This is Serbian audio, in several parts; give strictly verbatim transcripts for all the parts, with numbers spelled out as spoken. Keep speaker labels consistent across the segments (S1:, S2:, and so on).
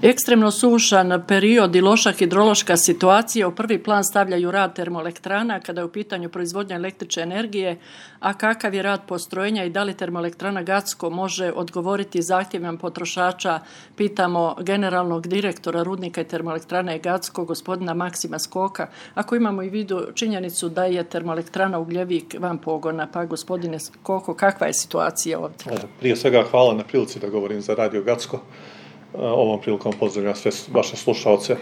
S1: Ekstremno sušan period i loša hidrološka situacija u prvi plan stavljaju rad termoelektrana kada je u pitanju proizvodnja električne energije, a kakav je rad postrojenja i da li termoelektrana Gacko može odgovoriti zahtjevima potrošača, pitamo generalnog direktora rudnika i termoelektrane Gacko, gospodina Maksima Skoka, ako imamo i vidu činjenicu da je termoelektrana Ugljevik van pogona. Pa gospodine Skoko, kakva je situacija ovdje?
S2: Prije svega hvala na prilici da govorim za Radio Gacko. Ovom prilikom pozdravljam sve vaše slušalce,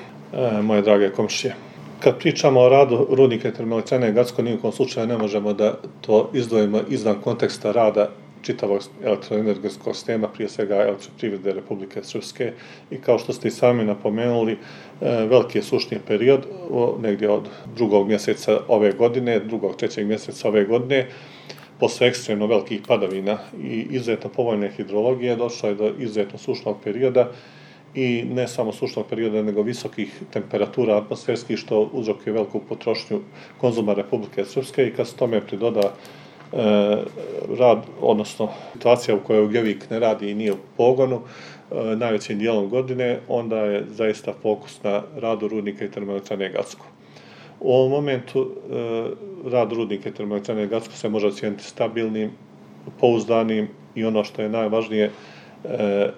S2: moje drage komšije. Kad pričamo o radu rudnika i termoelektrane Gacko, nijekom slučaju ne možemo da to izdvojimo izvan konteksta rada čitavog elektroenergetskog sistema, prije svega elektroprivrede Republike Srpske. I kao što ste i sami napomenuli, veliki je sušni period, negdje od drugog mjeseca ove godine, drugog, trećeg mjeseca ove godine, posle ekstremno velikih padavina i izuzetno povoljne hidrologije došlo je do izuzetno sušnog perioda i ne samo sušnog perioda, nego visokih temperatura atmosferskih, što uzrokuje veliku potrošnju konzuma Republike Srpske. I kad se tome pridoda e, rad, odnosno situacija u kojoj Ugljevik ne radi i nije u pogonu e, najvećim dijelom godine, onda je zaista fokus na radu rudnika i termoelektrane Gacko. U ovom momentu e, rad rudnika i termoelektrane Gacko se može ocijeniti stabilnim, pouzdanim i ono što je najvažnije, e,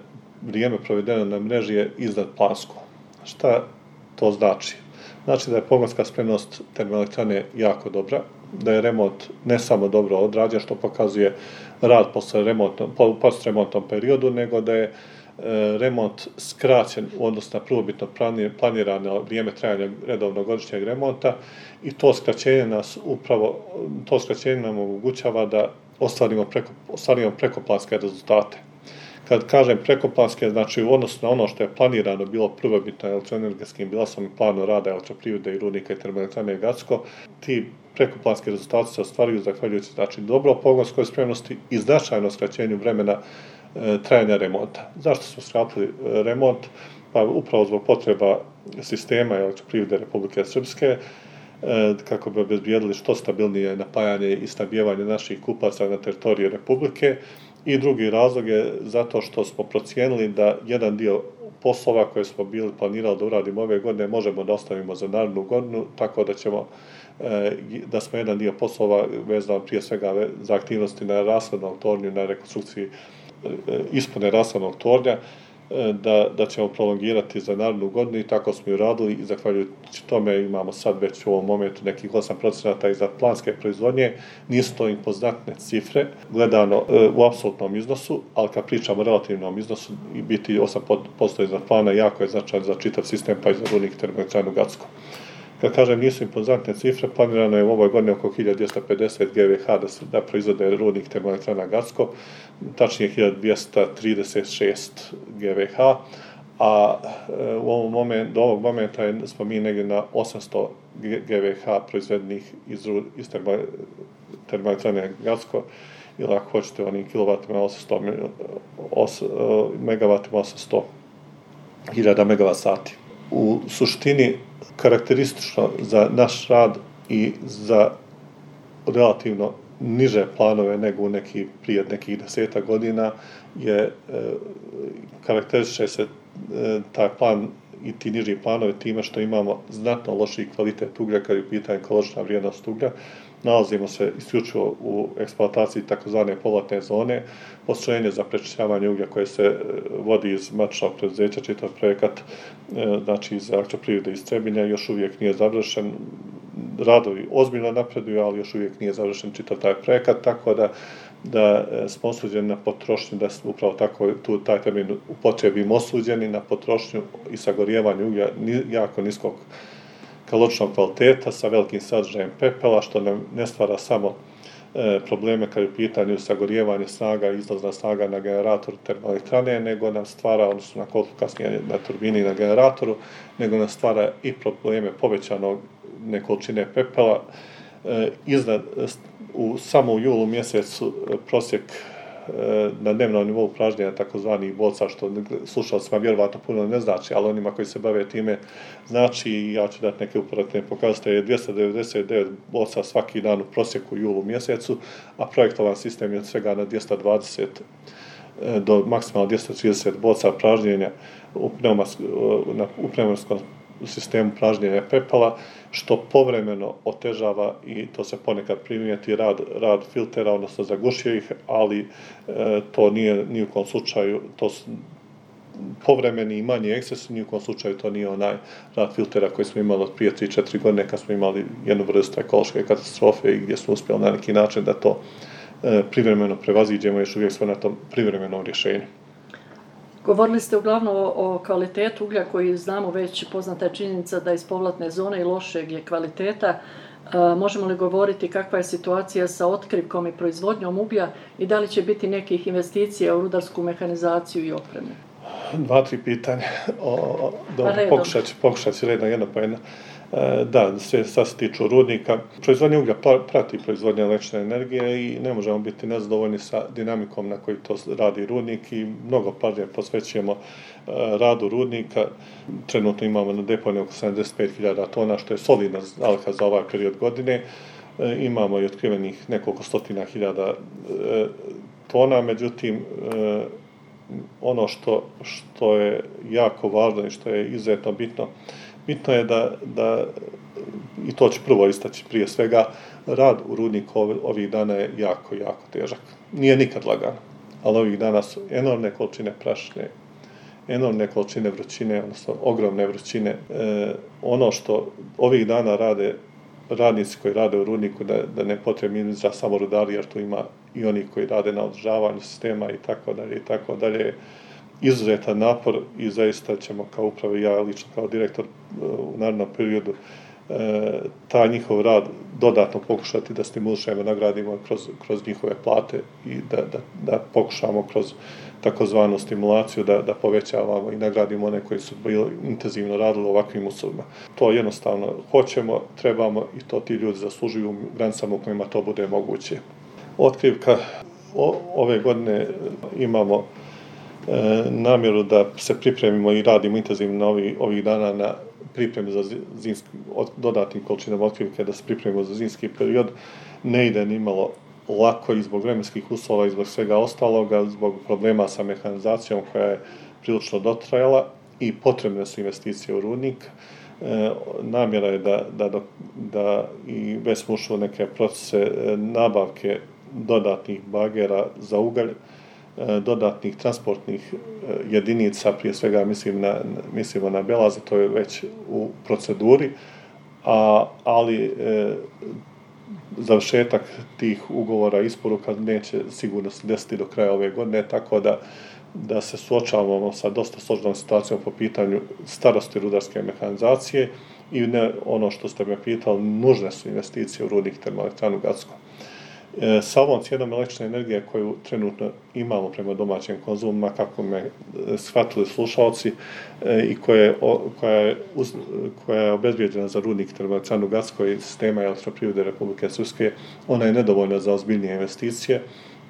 S2: vrijeme provedeno na mreži je iznad plansko. Šta to znači? Znači da je pogonska spremnost termoelektrane jako dobra, da je remont ne samo dobro odrađen, što pokazuje rad posle postremontnom periodu, nego da je remont skraćen u odnosu na prvobitno planirano vrijeme trajanja redovnog godišnjeg remonta i to skraćenje nas upravo, to skraćenje nam omogućava da ostvarimo, preko, ostvarimo prekoplanske rezultate. Kad kažem prekoplanske, znači u odnosu na ono što je planirano bilo prvobitno elektroenergetskim bilansom i planu rada elektroprivrede i rudnika i termoelektrane Gacko, ti prekoplanski rezultati se ostvaruju zahvaljujući znači dobro pogonskoj spremnosti i značajno skraćenju vremena trajanja remonta. Zašto smo skratili remont? Pa upravo zbog potreba sistema elektroprivrede Republike Srpske, kako bi obezbijedili što stabilnije napajanje i snabdijevanje naših kupaca na teritoriji Republike. I drugi razlog je zato što smo procijenili da jedan dio poslova koje smo bili planirali da uradimo ove godine možemo da ostavimo za narednu godinu, tako da ćemo da smo jedan dio poslova vezano prije svega za aktivnosti na rashladnom tornju, na rekonstrukciji ispune rashladnog tornja, da, da ćemo prolongirati za narednu godinu i tako smo i uradili i zahvaljujući tome imamo sad već u ovom momentu nekih osam procenata iza planske proizvodnje. Nisu to impozantne cifre gledano u apsolutnom iznosu, ali kad pričamo o relativnom iznosu i biti osam posto iza plana jako je značajan za čitav sistem pa i za rudnik i termoelektranu Gacko. Kad kažem nisu impozantne cifre, planirano je u ovoj godini oko hiljadu dvjesto pedeset ge ve ha da, se, da proizvode rudnik termoelektrana Gacko, tačnije hiljadu dvjesto trideset šest ge ve ha, a u ovom momentu, do ovog momenta je, smo mi negdje na osamsto ge ve ha proizvedenih iz, iz termoelektrane Gacko, ili ako hoćete onim kilovatima osamsto megavatima osamsto hiljada megavat sati. U suštini, karakteristično za naš rad i za relativno niže planove nego u neki, prije nekih deseta godina je e, karakterističe se e, taj plan i ti niži planovi time što imamo znatno lošiji kvalitet uglja kad je u pitanju kalorična vrijednost uglja. Nalazimo se isključivo u eksploataciji takozvane povratne zone, postrojenje za prečišćavanje uglja koje se vodi iz matičnog preduzeća, čitav projekat, znači iz elektroprivrede iz Trebinja, još uvijek nije završen. Radovi ozbiljno napreduju, ali još uvijek nije završen čitav taj projekat, tako da, da smo osuđeni na potrošnju, da smo upravo tako tu taj termin upotrebimo osuđeni na potrošnju i sagorijevanje uglja jako niskog kaloričnog kvaliteta sa velikim sadržajem pepela, što nam ne stvara samo e, probleme kad je u pitanju sagorijevanje snaga i izlazna snaga na generatoru termoelektrane, nego nam stvara, odnosno na koliko kasnije na turbini i na generatoru, nego nam stvara i probleme povećanog količine pepela. E, iznad, u, samo u julu mjesecu prosjek na dnevnom nivou pražnjenja takozvanih boca, što slušalcima vjerovatno puno ne znači, ali onima koji se bave time znači, i ja ću dati neke uporedne pokazatelje, dvjesto devedeset devet boca svaki dan u prosjeku u julu mjesecu, a projektovan sistem je od svega na dvjesto dvadeset do maksimalno dvjesto trideset boca pražnjenja u, u pneumatskom sistemu pražnjenja pepela, što povremeno otežava i to se ponekad primijeti rad, rad filtera, odnosno zagušuje ih, ali e, to nije ni u kom slučaju, to su povremeni i manji eksces, ni u kom slučaju to nije onaj rad filtera koji smo imali od prije tri četiri godine kad smo imali jednu vrstu ekološke katastrofe i gdje smo uspjeli na neki način da to e, privremeno prevaziđemo, još uvijek smo na tom privremenom rješenju.
S1: Govorili ste uglavnom o, o kvalitetu uglja koji znamo već, poznata je činjenica da iz povratne zone i lošeg je kvaliteta. E, možemo li govoriti kakva je situacija sa otkrivkom i proizvodnjom uglja i da li će biti nekih investicija u rudarsku mehanizaciju i opremu?
S2: Dva, tri pitanja. O, dobro, pokušat ću, pokušat ću redno jedno po jedno. E, da, sve sad se tiču rudnika. Proizvodnja uglja prati proizvodnja električne energije i ne možemo biti nezadovoljni sa dinamikom na koji to radi rudnik i mnogo pažnje posvećujemo e, radu rudnika. Trenutno imamo na deponiji oko sedamdeset pet hiljada tona, što je solidna zaliha za ovaj period godine. E, imamo i otkrivenih nekoliko stotina hiljada e, tona, međutim, e, ono što, što je jako važno i što je izuzetno bitno, bitno je da, da, i to ću prvo istaći prije svega, rad u rudniku ovih dana je jako, jako težak. Nije nikad lagano, ali ovih dana su enormne količine prašine, enormne količine vrućine, odnosno ogromne vrućine. E, ono što ovih dana rade radnici koji rade u rudniku, da, da ne potrebni za samo rudari, jer tu ima i oni koji rade na održavanju sistema i tako dalje i tako dalje. Izuzetan napor i zaista ćemo kao upravo ja lično kao direktor u narednom periodu e, taj njihov rad dodatno pokušati da stimulišemo, nagradimo kroz, kroz njihove plate i da, da, da pokušamo kroz takozvanu stimulaciju da, da povećavamo i nagradimo one koji su bili intenzivno radili u ovakvim uslovima. To jednostavno hoćemo, trebamo i to ti ljudi zaslužuju u granicama u kojima to bude moguće. Otkrivka o, ove godine imamo e, namjeru da se pripremimo i radimo intenzivno ovi, ovih dana na pripremi za zimski, od, dodatnim količinama otkrivke, da se pripremimo za zimski period. Ne ide ni malo lako i zbog vremenskih uslova i zbog svega ostaloga, zbog problema sa mehanizacijom koja je prilično dotrajala i potrebne su investicije u rudnik. E, namjera je da, da, da i već smo ušli u neke procese nabavke dodatnih bagera za ugalj, e, dodatnih transportnih jedinica, prije svega mislim na, mislimo na belaze, to je već u proceduri, a, ali e, završetak tih ugovora isporuka neće sigurno se desiti do kraja ove godine, tako da, da se suočavamo sa dosta složenom situacijom po pitanju starosti rudarske mehanizacije i ne, ono što ste me pitali, nužne su investicije u rudnik termoelektranu Gacko. E, sa ovom cijenom električne energije koju trenutno imamo prema domaćim konzumima, kako me shvatili slušalci, e, i koje, o, koja, je uz, koja je obezbijeđena za rudnik termoelektranu Gacko i sistema elektroprivrede Republike Srpske, ona je nedovoljna za ozbiljnije investicije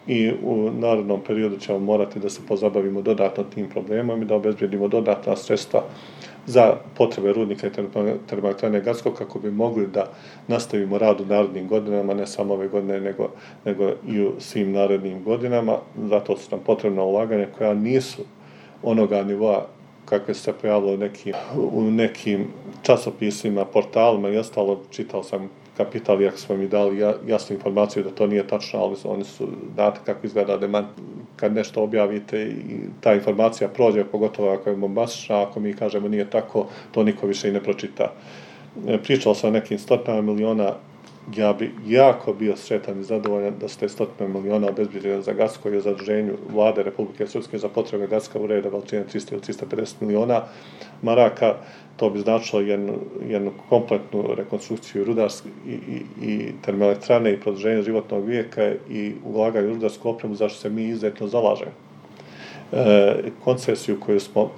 S2: i u narednom periodu ćemo morati da se pozabavimo dodatno tim problemom i da obezbijedimo dodatna sredstva za potrebe rudnika i termoelektrane Gacko kako bi mogli da nastavimo rad u narednim godinama, ne samo ove godine, nego, nego i u svim narednim godinama. Zato su nam potrebna ulaganja koja nisu onoga nivoa kakve se pojavilo u nekim, u nekim časopisima, portalima i ostalo. Čitao sam Kapital, iako smo mi dali jasnu informaciju da to nije tačno, ali oni su, znate kako izgleda demant, kad nešto objavite i ta informacija prođe, pogotovo ako je bombastična, ako mi kažemo nije tako, to niko više i ne pročita. Pričao sam o nekim stotinama miliona, ja bi jako bio sretan i zadovoljan da su te stotine miliona obezbijeđene za Gacko i o zaduženju vlade Republike Srpske za potrebe Gacka u reda veličine trista ili trista pedeset miliona maraka. To bi značilo jednu, jednu kompletnu rekonstrukciju rudarske i, i, i termoelektrane i produženje životnog vijeka i ulaganje u rudarsku opremu, zašto se mi izuzetno zalažemo. E, koncesiju koju smo,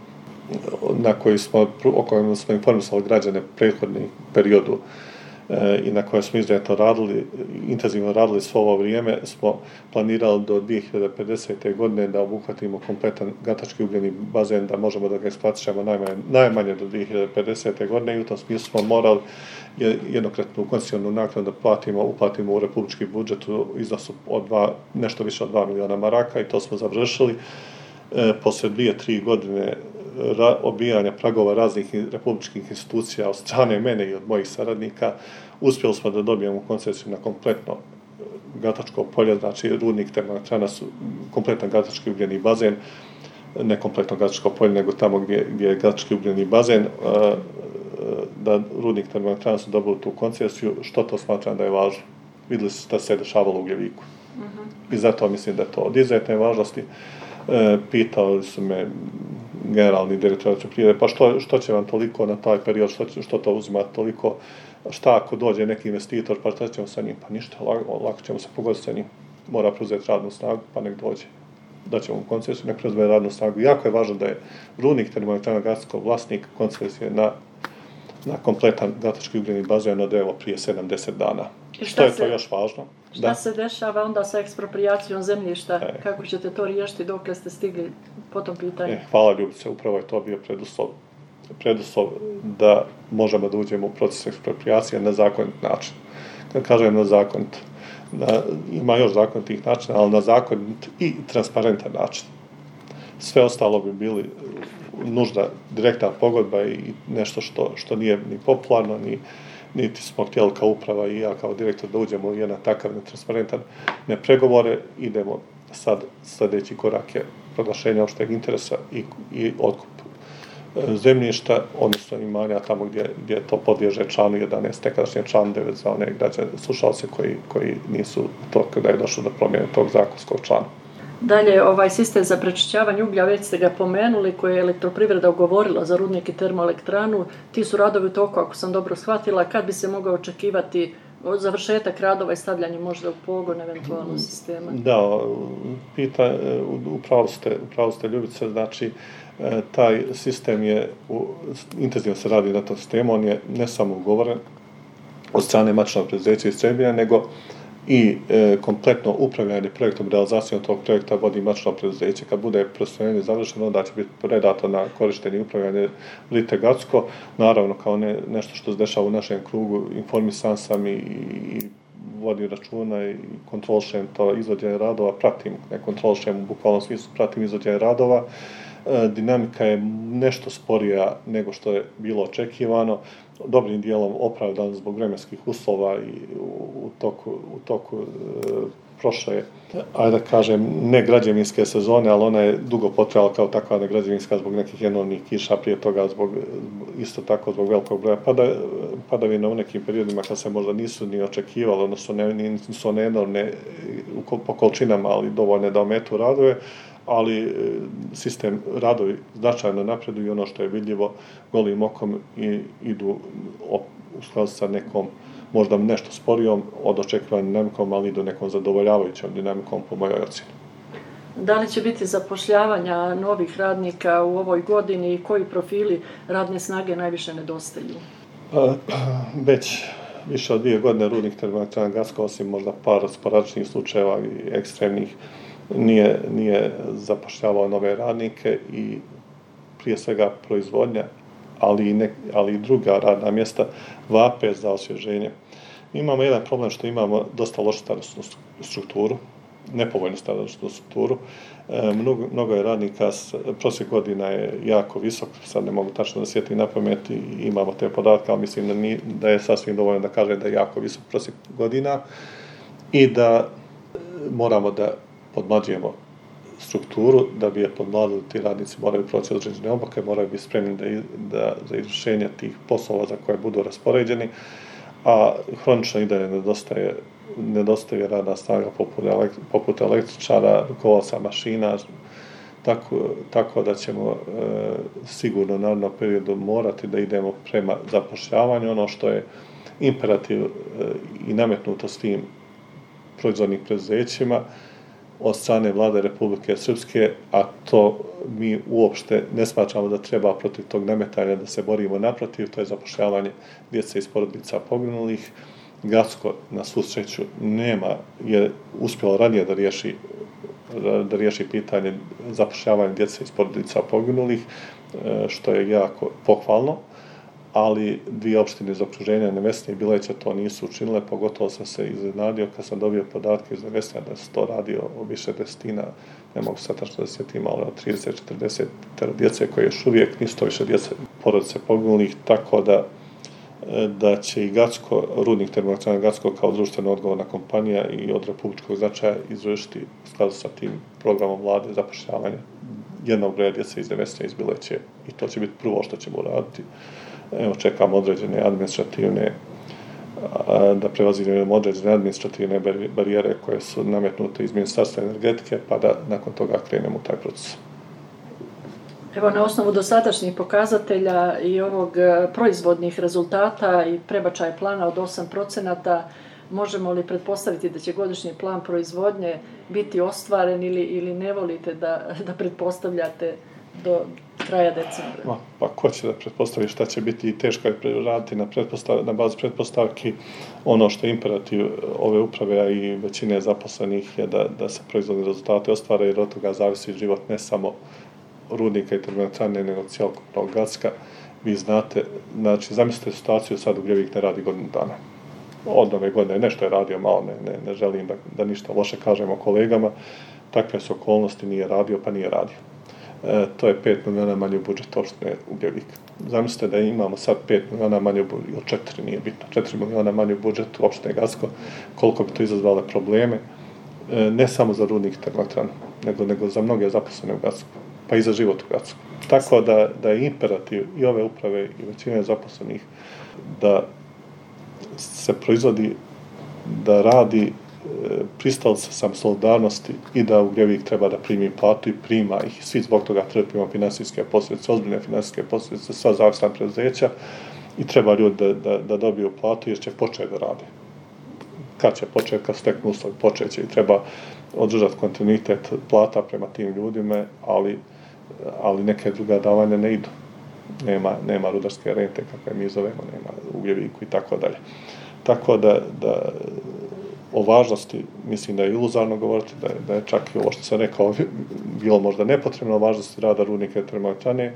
S2: na koju smo, o kojoj smo informisali građane prethodni periodu i na koje smo izuzetno radili, intenzivno radili svo ovo vrijeme, smo planirali do dvije hiljade pedesete. godine da obuhvatimo kompletan gatački ugljeni bazen, da možemo da ga eksploatišemo najmanje, najmanje do dvije hiljade pedesete. godine i u tom smislu smo morali jednokratnu koncesionu naknadu da platimo, uplatimo u republički budžet u iznosu od dva, nešto više od dva miliona maraka i to smo završili. E, poslije dvije, tri godine ra, obijanja pragova raznih republičkih institucija od strane mene i od mojih saradnika, uspjeli smo da dobijemo koncesiju na kompletno gatačko polje, znači rudnik termoelektrana su kompletan gatački ugljeni bazen, ne kompletno gatačko polje, nego tamo gdje, gdje je gatački ugljeni bazen, a, da rudnik termoelektrana su dobili tu koncesiju, što to smatram da je važno. Vidjeli su da se dešavalo u Ugljeviku. Uh-huh. I zato mislim da je to od izuzetne važnosti. E, pitali su me generalni direktor elektroprivrede, pa što, što će vam toliko na taj period, što, što to uzima toliko, šta ako dođe neki investitor, pa šta ćemo sa njim? Pa ništa, lako, lako ćemo se pogoditi sa njim. Mora preuzeti radnu snagu, pa nek dođe. Daćemo mu koncesiju, nek preuzme radnu snagu. Jako je važno da je rudnik termoelektrana Gacko vlasnik koncesije na, na kompletan gatački ugljeni bazen od evo prije sedamdeset dana. Što je to se, još važno?
S1: Šta da. se dešava onda sa eksproprijacijom zemljišta? E. Kako ćete to riješiti dok ste stigli po tom pitanju? E,
S2: hvala Ljubice, upravo je to bio preduslov, preduslov da možemo da uđemo u proces eksproprijacije na zakonit način. Kad kažem na zakonit, na, ima još zakonitih načina, ali na zakonit i transparentan način. Sve ostalo bi bili nužna direktna pogodba i nešto što, što nije ni popularno, ni niti smo htjeli kao uprava i ja kao direktor da uđemo u jedan takav netransparentan ne pregovore, idemo sad sljedeći korak je proglašenje opšteg interesa i, i otkup zemljišta, odnosno imanja tamo gdje, gdje to podliježe članu jedanaest, nekadašnje član devet za one građane, slušalce koji, koji nisu to kada je došlo do promjene tog zakonskog člana.
S1: Dalje, ovaj sistem za prečišćavanje uglja, već ste ga pomenuli, koji je elektroprivreda ugovorila za rudnik i termoelektranu. Ti su radovi u toku, ako sam dobro shvatila, kad bi se mogao očekivati završetak radova i stavljanje možda u pogon eventualno sistema?
S2: Da, pita, upravo ste, upravo ste Ljubice, znači taj sistem je, intenzivno se radi na tom sistemu, on je ne samo ugovoren od strane matičnog preduzeća iz Trebinja, nego i e, kompletno upravljanje projektom, realizacijom tog projekta vodi matično preduzeće. Kad bude prostorjenje završeno, onda će biti predato na korištenje i upravljanje Lite Gacko. Naravno, kao ne, nešto što se dešava u našem krugu, informisan sam i, i vodim računa i kontrolišem to izvođenje radova, pratim, ne kontrolišem u bukvalnom smislu, pratim izvođenje radova. E, dinamika je nešto sporija nego što je bilo očekivano, dobrim dijelom opravdan zbog vremenskih uslova i u, u toku, u toku e, prošle, ajde da kažem, ne građevinske sezone, ali ona je dugo potrajala kao takva ne građevinska zbog nekih enormnih kiša, prije toga zbog, isto tako zbog velikog broja pada, padavina u nekim periodima kad se možda nisu ni očekivali, odnosno ne, nisu one enormne po količinama, ali dovoljne da ometu radove, ali sistem radovi značajno napreduju i ono što je vidljivo golim okom i idu u skladu sa nekom možda nešto sporijom od očekivanom dinamikom, ali idu nekom zadovoljavajućom dinamikom po mojoj ocjeni.
S1: Da li će biti zapošljavanja novih radnika u ovoj godini i koji profili radne snage najviše nedostaju?
S2: Pa, već više od dvije godine rudnik termoelektrana Gacko, osim možda par sporadičnih slučajeva i ekstremnih, Nije, nije zapošljavao nove radnike i prije svega proizvodnja, ali i, ne, ali i druga radna mjesta vape za osvježenje. Imamo jedan problem što imamo dosta lošu starosnu strukturu, nepovoljnu starosnu strukturu. E, mnogo, mnogo je radnika, prosjek godina je jako visok, sad ne mogu tačno da sjetim na pamet i imamo te podatke, ali mislim da, ni, da je sasvim dovoljno da kaže da je jako visok prosjek godina i da moramo da podmlađujemo strukturu, da bi je podmladili, ti radnici moraju proći određene obuke, moraju biti spremni da, da, za izvršenje tih poslova za koje budu raspoređeni, a hronično i dalje nedostaje, nedostaje radna snaga poput, elektri, poput električara, rukovaca mašina, tako, tako da ćemo e, sigurno u narednom periodu morati da idemo prema zapošljavanju, ono što je imperativ e, i nametnuto s tim proizvodnim preduzećima, od strane vlade Republike Srpske, a to mi uopšte ne smatramo da treba protiv tog nametanja da se borimo naprotiv, to je zapošljavanje djece iz porodica poginulih. Gacko, na svu sreću, nema, je uspjelo ranije da riješi, da riješi pitanje zapošljavanja djece iz porodica poginulih, što je jako pohvalno, ali dvije opštine iz okruženja, Nevesinje i Bileća, to nisu učinile, pogotovo sam se iznenadio kad sam dobio podatke iz Nevesinja da se to radi o više desetina, ne mogu sad tačno da se sjetim, ali od trideset do četrdeset djece koje još uvijek nisu to više djece porodice poginulih, tako da da će i Gacko, Rudnik termoelektrana Gacko kao društveno odgovorna kompanija i od republičkog značaja izvršiti u skladu sa tim programom vlade zapošljavanja jednog broja djece iz Nevesinja iz Bileće i to će biti prvo što ćemo uraditi. Evo, čekamo određene administrativne, da prevazimo određene administrativne barijere koje su nametnute iz Ministarstva energetike, pa da nakon toga krenemo u taj proces.
S1: Evo, na osnovu dosadašnjih pokazatelja i ovog proizvodnih rezultata i prebačaj plana od osam procenata, možemo li pretpostaviti da će godišnji plan proizvodnje biti ostvaren ili, ili ne volite da, da pretpostavljate do kraja decembra?
S2: Ma, pa ko će da pretpostavi šta će biti i teško je raditi na, na bazi pretpostavki. Ono što je imperativ ove uprave, a i većine zaposlenih je da, da se proizvodni rezultate ostvare, jer od toga zavisi život ne samo Rudnika i termoelektrane, nego cijelokupnog Gacka. Vi znate, znači, zamislite situaciju, sad Ugljevik ne radi godinu dana. Od nove godine nešto je radio malo, ne, ne, ne želim da, da ništa loše kažemo kolegama, takve su okolnosti, nije radio, pa nije radio. E, to je pet miliona manje u budžetu opštine Ugljevik. Zamislite da imamo sad pet miliona manje u budžetu, ili četiri, nije bitno, četiri miliona manje u budžetu opštine Gacko, koliko bi to izazvale probleme, e, ne samo za Rudnik i termoelektranu, nego, nego za mnoge zaposlene u Gacku, pa i za život u Gacku. Tako da, da je imperativ i ove uprave i većine zaposlenih da se proizvodi, da radi pristalica sam solidarnosti i da Ugljevik treba da primi platu i prima ih. Svi zbog toga trpimo finansijske posljedice, ozbiljne finansijske posljedice, sva zavisna preduzeća i treba ljudi da, da, da dobiju platu jer će početi da rade. Kad će početi, kad steknu uslovi, počet će i treba održati kontinuitet plata prema tim ljudima, ali, ali neke druga davanja ne idu. Nema, nema rudarske rente, kakve mi zovemo, nema Ugljeviku i tako dalje. Tako da, da o važnosti, mislim da je iluzarno govoriti, da je, da je čak i ovo što sam rekao bilo možda nepotrebno o važnosti rada Rudnika i termoelektrane,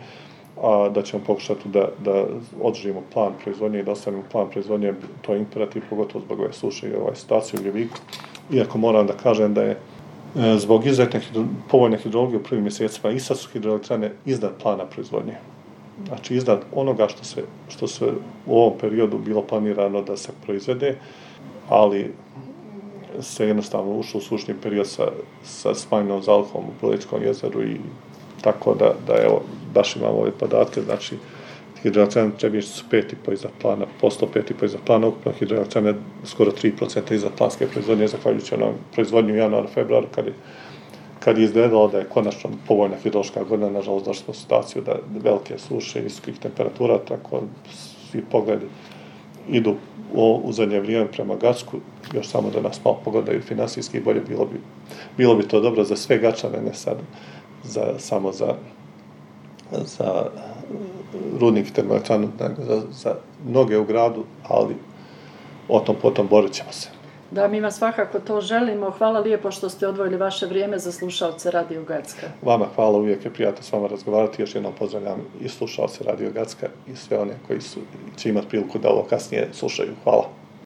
S2: a da ćemo pokušati da, da održimo plan proizvodnje i da ostavimo plan proizvodnje, to je imperativ, pogotovo zbog ove suše i ove situacije u Ugljeviku. Iako moram da kažem da je zbog izuzetne hidro, povoljne hidrologije u prvim mjesecima i sad su hidroelektrane iznad plana proizvodnje. Znači iznad onoga što se, što se u ovom periodu bilo planirano da se proizvede, ali se jednostavno ušlo u sušni period sa, sa smanjenom zalihom u Proličkom jezeru i tako da, da evo, baš imamo ove podatke, znači hidroelektrane Trebinje su pet i po iza plana, posto pet i po iza plana, ukupno hidroelektrane skoro tri procenta iza planske proizvodnje, zahvaljujući onom proizvodnju u januaru, februaru, kad je, kad je izgledalo da je konačno povoljna hidrološka godina, nažalost došli smo u situaciju da velike suše, visokih temperatura, tako svi pogledi idu u, u zadnje vrijeme prema Gacku, još samo da nas malo pogledaju finansijski i bolje, bilo bi, bilo bi to dobro za sve Gačane, ne sad za, samo za, za Rudnik i termoelektranu, nego za, za mnoge u gradu, ali o tom potom borit ćemo se.
S1: Da, mi vam svakako to želimo. Hvala lijepo što ste odvojili vaše vrijeme za slušalce Radio Gacka.
S2: Vama hvala, uvijek je prijatno s vama razgovarati. Još jednom pozdravljam i slušalce Radio Gacka i sve one koji su, će imati priliku da ovo kasnije slušaju. Hvala.